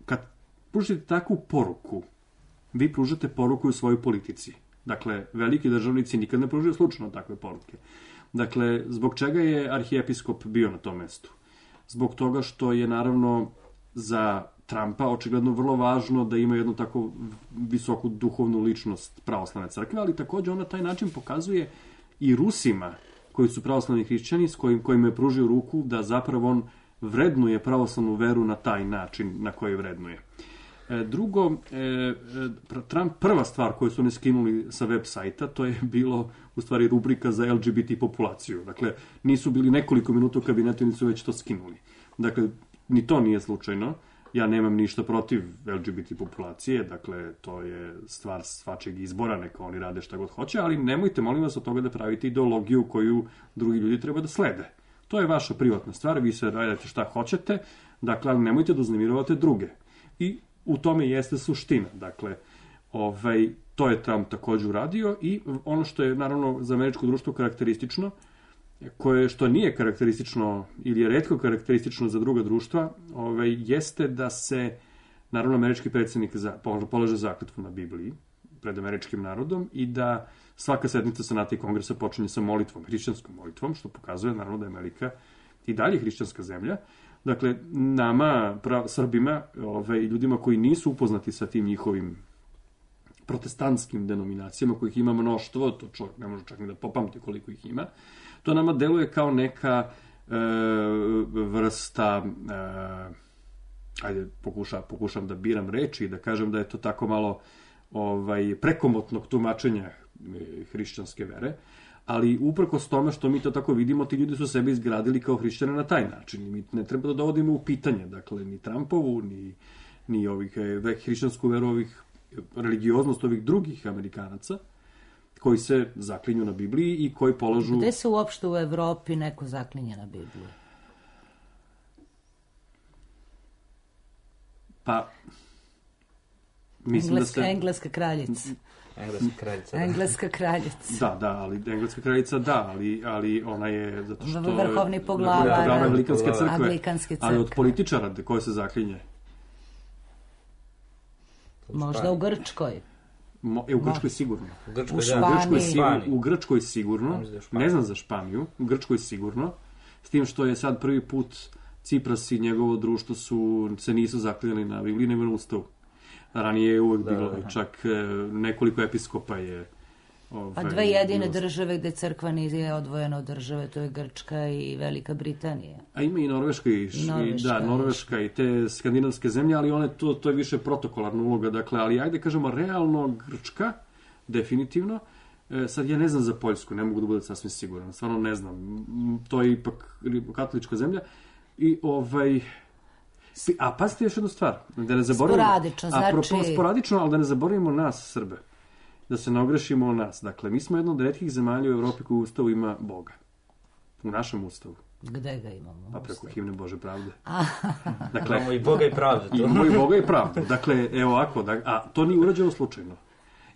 kad pružite takvu poruku, vi pružate poruku u svojoj politici. Dakle, veliki državnici nikad ne pružaju slučajno takve poruke. Dakle, zbog čega je arhijepiskop bio na tom mestu? Zbog toga što je, naravno, za Trumpa očigledno vrlo važno da ima jednu tako visoku duhovnu ličnost pravoslavne crkve, ali također on na taj način pokazuje i Rusima koji su pravoslavni hrišćani, s kojim, kojim je pružio ruku da zapravo on vrednuje pravoslavnu veru na taj način na koji vrednuje. E, drugo, e, Trump, prva stvar koju su oni skinuli sa web sajta, to je bilo u stvari rubrika za L G B T populaciju. Dakle, nisu bili nekoliko minuta u kabinetu i nisu već to skinuli. Dakle, ni to nije slučajno. Ja nemam ništa protiv L G B T populacije, dakle, to je stvar svačeg izbora, neka oni rade šta god hoće, ali nemojte, molim vas, od toga da pravite ideologiju koju drugi ljudi treba da slede. To je vaša privatna stvar, vi se radite šta hoćete, dakle, ali nemojte da uznemiravate druge. I u tome jeste suština, dakle, ovaj, to je Trump također uradio i ono što je, naravno, za američko društvo karakteristično, koje što nije karakteristično ili je retko karakteristično za druga društva, ovaj, jeste da se, naravno, američki predsjednik za, polaže zakletvu na Bibliji pred američkim narodom i da svaka sednica Senata i Kongresa počinje sa molitvom, hrišćanskom molitvom, što pokazuje, naravno, da je Amerika i dalje hrišćanska zemlja. Dakle, nama, prav, Srbima, ovaj, ljudima koji nisu upoznati sa tim njihovim protestantskim denominacijama, kojih ima mnoštvo, to čovjek ne može čak ni da popamti koliko ih ima, to nama deluje kao neka e, vrsta, e, ajde, pokuša, pokušam da biram reči i da kažem da je to tako malo ovaj, prekomotnog tumačenja hrišćanske vere, ali uprkos tome što mi to tako vidimo, ti ljudi su sebe izgradili kao hrišćane na taj način. Mi ne treba da dovodimo u pitanje, dakle, ni Trumpovu, ni, ni ovih, hrišćansku veru, ovih, religioznost ovih drugih Amerikanaca, koji se zaklinju na Bibliji i koji polažu... Gde se uopšte u Evropi neko zaklinje na Bibliju? Pa, Mislim Engleska, da se... engleska kraljica. Engleska kraljica. Da. Engleska kraljica. Da, da, ali engleska kraljica da, ali, ali ona je zato što... Vrhovni poglavar. Vrhovni poglavar Anglikanske crkve. Anglikanske crkve. Ali od političara koje se zaklinje. Možda u Grčkoj. Mo, e, u Grčkoj sigurno. U Grčkoj, U da. Španiji. U Grčkoj, sigurno, u Grčkoj sigurno, Španiju. ne znam za Španiju, u Grčkoj sigurno, s tim što je sad prvi put Cipras i njegovo društvo su, se nisu zaklinjali na Bibliji, nego na Ustavu. Ranije je uvek Da, bilo, da. čak e, nekoliko episkopa je... Ovaj, Pa dve jedine bilo- države gde crkva nije odvojena od države, to je Grčka i Velika Britanija. A ima i Norveška i, š- i Norveška, da, Norveška i te skandinavske zemlje, ali one to, to je više protokolarna uloga, dakle, ali ajde kažemo realno Grčka, definitivno. E, sad ja ne znam za Poljsku, ne mogu da budem sasvim siguran, stvarno ne znam. M, To je ipak katolička zemlja. I ovaj... A pazite još jednu stvar, da ne zaboravimo... Sporadično, Apropo, znači- sporadično, ali da ne zaboravimo nas, Srbe. Da se ne ogrešimo o nas. Dakle, mi smo jedna od retkih zemalja u Evropi koji u ustavu ima Boga. U našem ustavu. Gde ga imamo? Pa preko himne Bože pravde. Imamo Dakle, i Boga i pravdu. To. imamo i Boga i pravdu. Dakle, evo ovako, da, a to nije urađeno slučajno.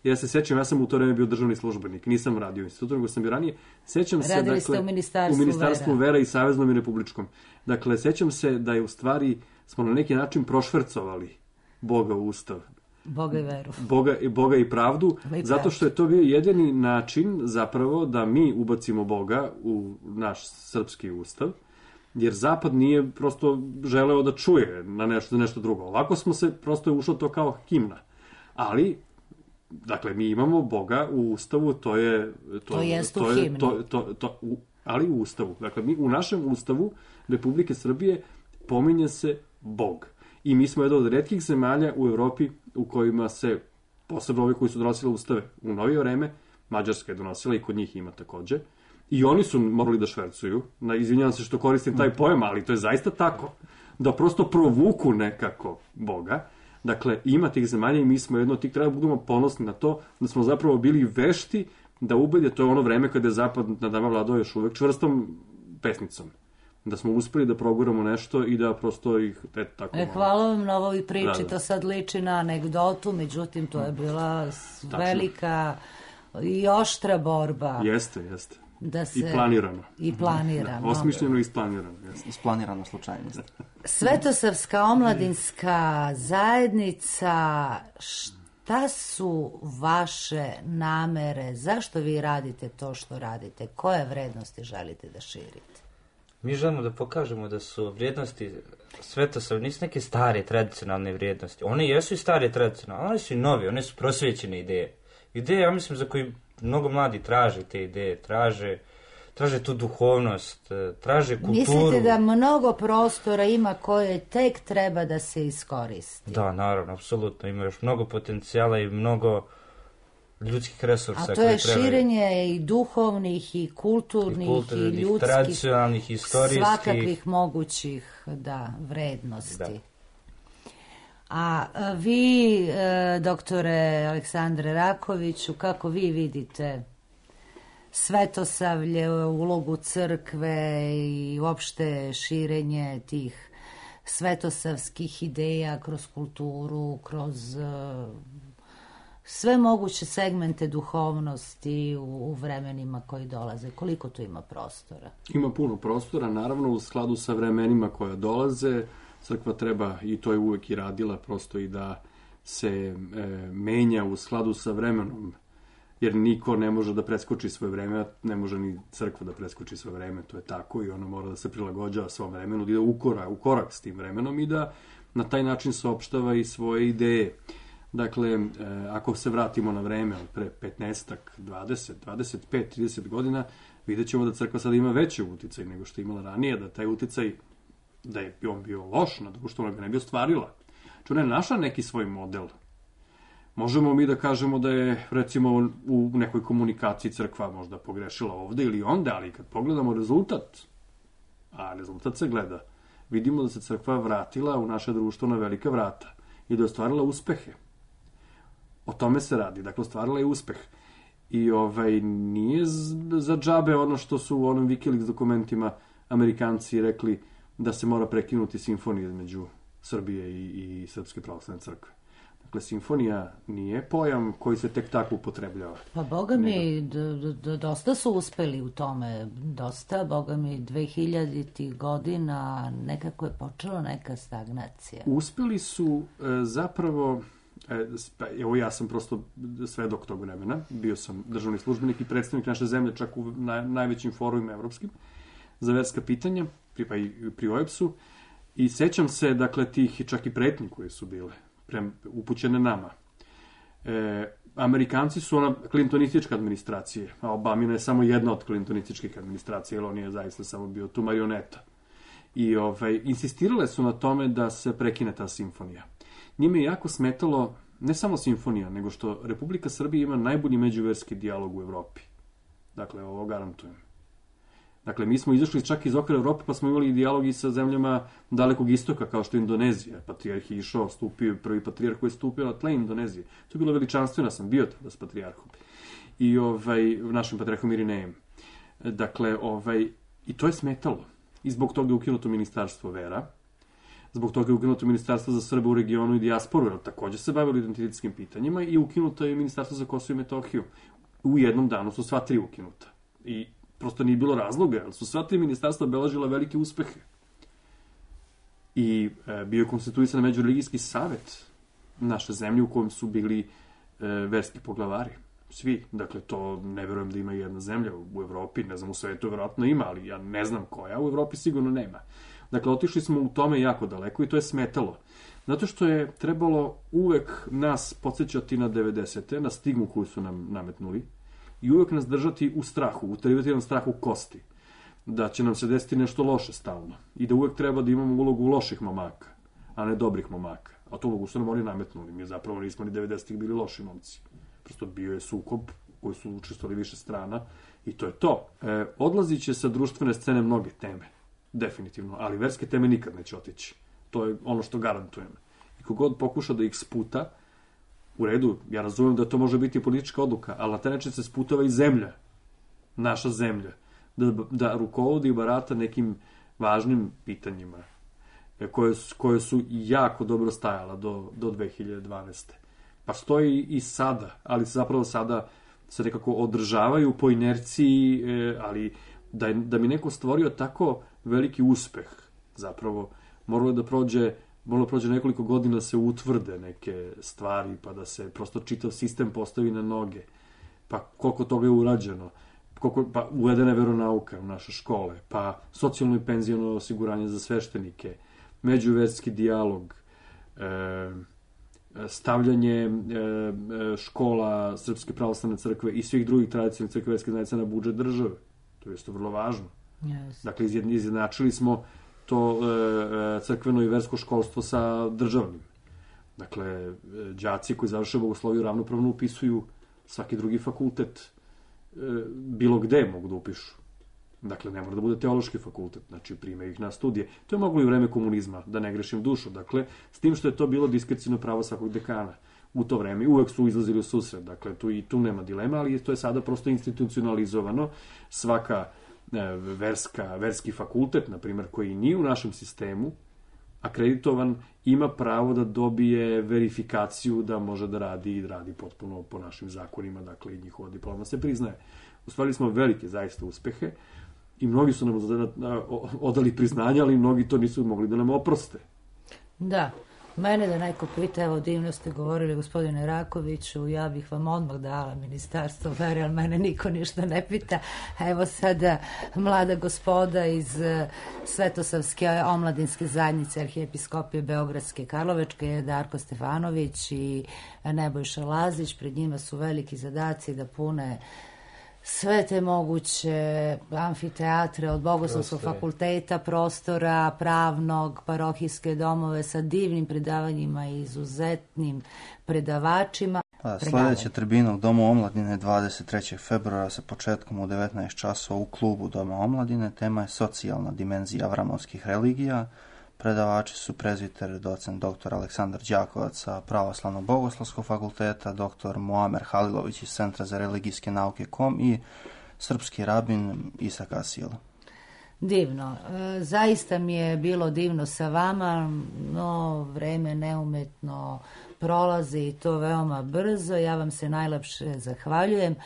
Ja se sećam, ja sam u to vreme bio državni službenik, nisam radio u institutu, nego sam bio ranije. Sećam se, Radili dakle, ste u Ministarstvu u Ministarstvu vera. vera i Saveznom i Republičkom. Dakle, sećam se da je u stvari smo na neki način prošvercovali Boga u ustav. Boga i veru. Boga, Boga i pravdu, I zato što je to bio jedini način zapravo da mi ubacimo Boga u naš srpski ustav, jer Zapad nije prosto želeo da čuje na nešto, nešto drugo. Ovako smo se, prosto je ušlo to kao himna. Ali, dakle, mi imamo Boga u ustavu, to je... To jest u to je, himni. To, to, to, u, ali u ustavu. Dakle, mi u našem ustavu Republike Srbije pominje se Bog. I mi smo jedan od retkih zemalja u Evropi u kojima se, posebno ovi koji su donosili ustave u novije vreme, Mađarska je donosila i kod njih ima takođe, i oni su morali da švercuju. Na, izvinjavam se što koristim taj pojam, ali to je zaista tako. Da prosto provuku nekako Boga. Dakle, ima tih zemalja i mi smo jedno od tih, treba da budemo ponosni na to, da smo zapravo bili vešti da ubede, to je ono vreme kada je Zapad nad nama vladao još uvek čvrstom pesnicom. Da smo uspeli da proguramo nešto i da prosto ih, eto tako... E, hvala vam na ovoj priči, Da, da. to sad liči na anegdotu, međutim to je bila s- Tačno. velika i oštra borba. Jeste, jeste. Da se... I planirano. I planirano. Osmišljeno i isplanirano, jeste. Isplanirana slučajnost. Svetosavska omladinska zajednica, šta su vaše namere? Zašto vi radite to što radite? Koje vrednosti želite da širite? Mi želimo da pokažemo da su vrijednosti Svetosavlja nisu neke stare tradicionalne vrijednosti. One jesu i stare tradicionalne, one su i nove, one su prosvećene ideje. Ideje, ja mislim, za koji mnogo mladi traže te ideje, traže, traže tu duhovnost, traže kulturu. Mislite da mnogo prostora ima koje tek treba da se iskoristi? Da, naravno, apsolutno. Ima još mnogo potencijala i mnogo ljudskih resursa. A to koje je trebaju. širenje i duhovnih, i kulturnih, I i, kulturnih, ljudskih, tradicionalnih, istorijskih. svakakvih mogućih, da, vrednosti. Da. A a vi, e, doktore Aleksandre Rakoviću, kako vi vidite Svetosavlje, ulogu crkve i uopšte širenje tih svetosavskih ideja kroz kulturu, kroz e, sve moguće segmente duhovnosti u, u vremenima koji dolaze? Koliko tu ima prostora? Ima puno prostora, naravno u skladu sa vremenima koja dolaze. Crkva treba, i to je uvek i radila, prosto i da se e, menja u skladu sa vremenom. Jer niko ne može da preskoči svoje vreme, a ne može ni crkva da preskoči svoje vreme, to je tako i ona mora da se prilagođava svom vremenu, da ide u korak, u korak s tim vremenom i da na taj način saopštava i svoje ideje. Dakle, e, ako se vratimo na vreme od pre petnaestak, dvadeset, dvadeset pet, trideset godina, vidjet ćemo da crkva sada ima veći uticaj nego što je imala ranije, da taj uticaj, da je on bio loš na društvo, ga ne bi ostvarila. Čuna je naša neki svoj model. Možemo mi da kažemo da je, recimo, u nekoj komunikaciji crkva možda pogrešila ovde ili onde, ali kad pogledamo rezultat, a rezultat se gleda, vidimo da se crkva vratila u naše društvo na velika vrata i da je ostvarila uspehe. O tome se radi, dakle, ostvarila je uspeh. I ovaj, nije za džabe ono što su u onom Wikileaks dokumentima Amerikanci rekli da se mora prekinuti simfonija između Srbije i, i Srpske pravoslavne crkve. Dakle, simfonija nije pojam koji se tek tako upotrebljava. Pa boga mi, d- d- dosta su uspeli u tome, dosta, boga mi, dve hiljaditih godina nekako je počela neka stagnacija. Uspeli su e, zapravo, e, evo ja sam prosto svedok tog vremena, bio sam državni službenik i predstavnik naše zemlje čak u naj, najvećim forumima evropskim za verska pitanja, pri, pa i pri O E B S-u, i sećam se, dakle, tih čak i pretnji koje su bile prem, upućene nama. E, Amerikanci su ona klintonistička administracija, a Obamina je samo jedna od klintonističkih administracija, jer on je zaista samo bio tu marioneta. I ovaj, insistirale su na tome da se prekine ta simfonija. Njime je jako smetalo ne samo simfonija, nego što Republika Srbija ima najbolji međuverski dijalog u Evropi. Dakle, ovo garantujem. Dakle, mi smo izašli čak iz okvira Evrope, pa smo imali dijalog i sa zemljama dalekog istoka, kao što je Indonezija. Patrijarh je išao, stupio, prvi patrijarh koji je stupio na tle Indonezije. To je bilo veličanstveno, sam bio tada s patrijarhom. I ovaj, našim patrijarhom Irinejem. Dakle, ovaj, i to je smetalo. I zbog toga je ukinuto Ministarstvo vera. Zbog toga je ukinuto Ministarstvo za Srbe u regionu i dijasporu, jer takođe se bavili identitetskim pitanjima, i ukinuto je Ministarstvo za Kosovo i Metohiju. U jednom danu su sva tri ukinuta. I prosto nije bilo razloga, jer su sva tri ministarstva obeležila velike uspehe. I e, bio je konstituisan međureligijski savet naše zemlje u kojem su bili e, verski poglavari. Svi. Dakle, to ne verujem da ima jedna zemlja u Evropi, ne znam, u svetu verovatno ima, ali ja ne znam koja, u Evropi sigurno nema. Dakle, otišli smo u tome jako daleko i to je smetalo. Zato što je trebalo uvek nas podsjećati na devedesete, na stigmu koju su nam nametnuli, i uvek nas držati u strahu, uterivati nam strah u kosti, da će nam se desiti nešto loše stalno i da uvek treba da imamo ulogu loših momaka, a ne dobrih momaka. A tu ulogu su nam oni nametnuli. Mi zapravo nismo ni devedesetih bili loši momci. Prosto bio je sukob koji su učestvovali više strana i to je to. E, odlazit će sa društvene scene mnoge teme, definitivno, ali verske teme nikad neće otići. To je ono što garantujem. I kogod pokuša da ih sputa, u redu, ja razumem da to može biti politička odluka, ali na taj način se sputava i zemlja, naša zemlja, da, da rukovodi i barata nekim važnim pitanjima koje, koje su jako dobro stajala do, do dve hiljade dvanaeste. Pa stoji i sada, ali zapravo sada se nekako održavaju po inerciji, ali da, da mi neko stvorio tako veliki uspeh, zapravo moralo da prođe Moralo prođe nekoliko godina da se utvrde neke stvari, pa da se prosto čitav sistem postavi na noge. Pa koliko toga je urađeno, koliko, pa uvedena je veronauka u naše škole, pa socijalno i penziono osiguranje za sveštenike, međuverski dijalog, e, stavljanje e, škola Srpske pravoslavne crkve i svih drugih tradicionalnih crkveverskih zajednica na budžet države. To je isto vrlo važno. Yes. Dakle, izjednačili smo to e, crkveno i versko školstvo sa državnim. Dakle, đaci koji završe bogosloviju ravnopravno upisuju svaki drugi fakultet, e, bilo gde mogu da upišu. Dakle, ne mora da bude teološki fakultet, znači prime ih na studije. To je moglo i u vreme komunizma, da ne grešim dušu. Dakle, s tim što je to bilo diskrecijno pravo svakog dekana u to vreme. Uvek su izlazili u susret, dakle, tu i tu nema dilema, ali to je sada prosto institucionalizovano. Svaka verska, verski fakultet, na primjer, koji nije u našem sistemu akreditovan, ima pravo da dobije verifikaciju da može da radi i radi potpuno po našim zakonima, dakle i njihova diploma se priznaje. Ustvarili smo velike zaista uspehe i mnogi su nam odali priznanja, ali mnogi to nisu mogli da nam oproste. Da. Mene da neko pita, evo divno ste govorili gospodine Rakoviću, ja bih vam odmah dala ministarstvo vere, ali mene niko ništa ne pita. Evo sada mlada gospoda iz Svetosavske omladinske zajednice Arhijepiskopije Beogradske i Karlovačke, Darko Stefanović i Nebojša Lazić, pred njima su veliki zadaci da pune sve te moguće amfiteatre od Bogoslovskog fakulteta, prostora, pravnog, parohijske domove sa divnim predavanjima i izuzetnim predavačima. Pa, sledeća tribina u Domu omladine dvadeset trećeg februara sa početkom u devetnaest časova u klubu Doma omladine. Tema je socijalna dimenzija avramovskih religija. Predavači su prezbiter docent doktor Aleksandar Đakovac sa Pravoslavnog bogoslovskog fakulteta, doktor Muamer Halilović iz Centra za religijske nauke kom i srpski rabin Isak Asil. Divno. E, zaista mi je bilo divno sa vama, no vreme neumetno prolazi i to veoma brzo. Ja vam se najlepše zahvaljujem.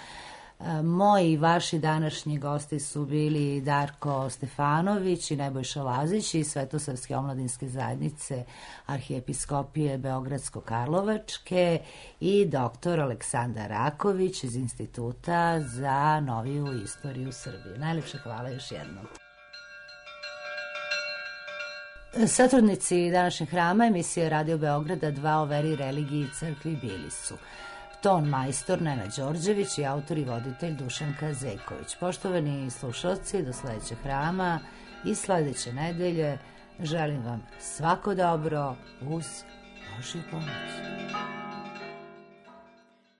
E, moji i vaši današnji gosti su bili Darko Stefanović i Nebojša Lazić iz Svetosavske omladinske zajednice Arhijepiskopije Beogradsko-Karlovačke i doktor Aleksandar Raković iz Instituta za noviju istoriju Srbije. Najlepše hvala još jednom. Satrudnici današnjeg hrama emisije Radio Beograda dva o veri, religiji i crkvi bili su ton majstor Nenad Đorđević i autor i voditelj Dušanka Zejković. Poštovani slušalci, do sledećeg hrama i sledeće nedelje želim vam svako dobro uz Božju pomoć.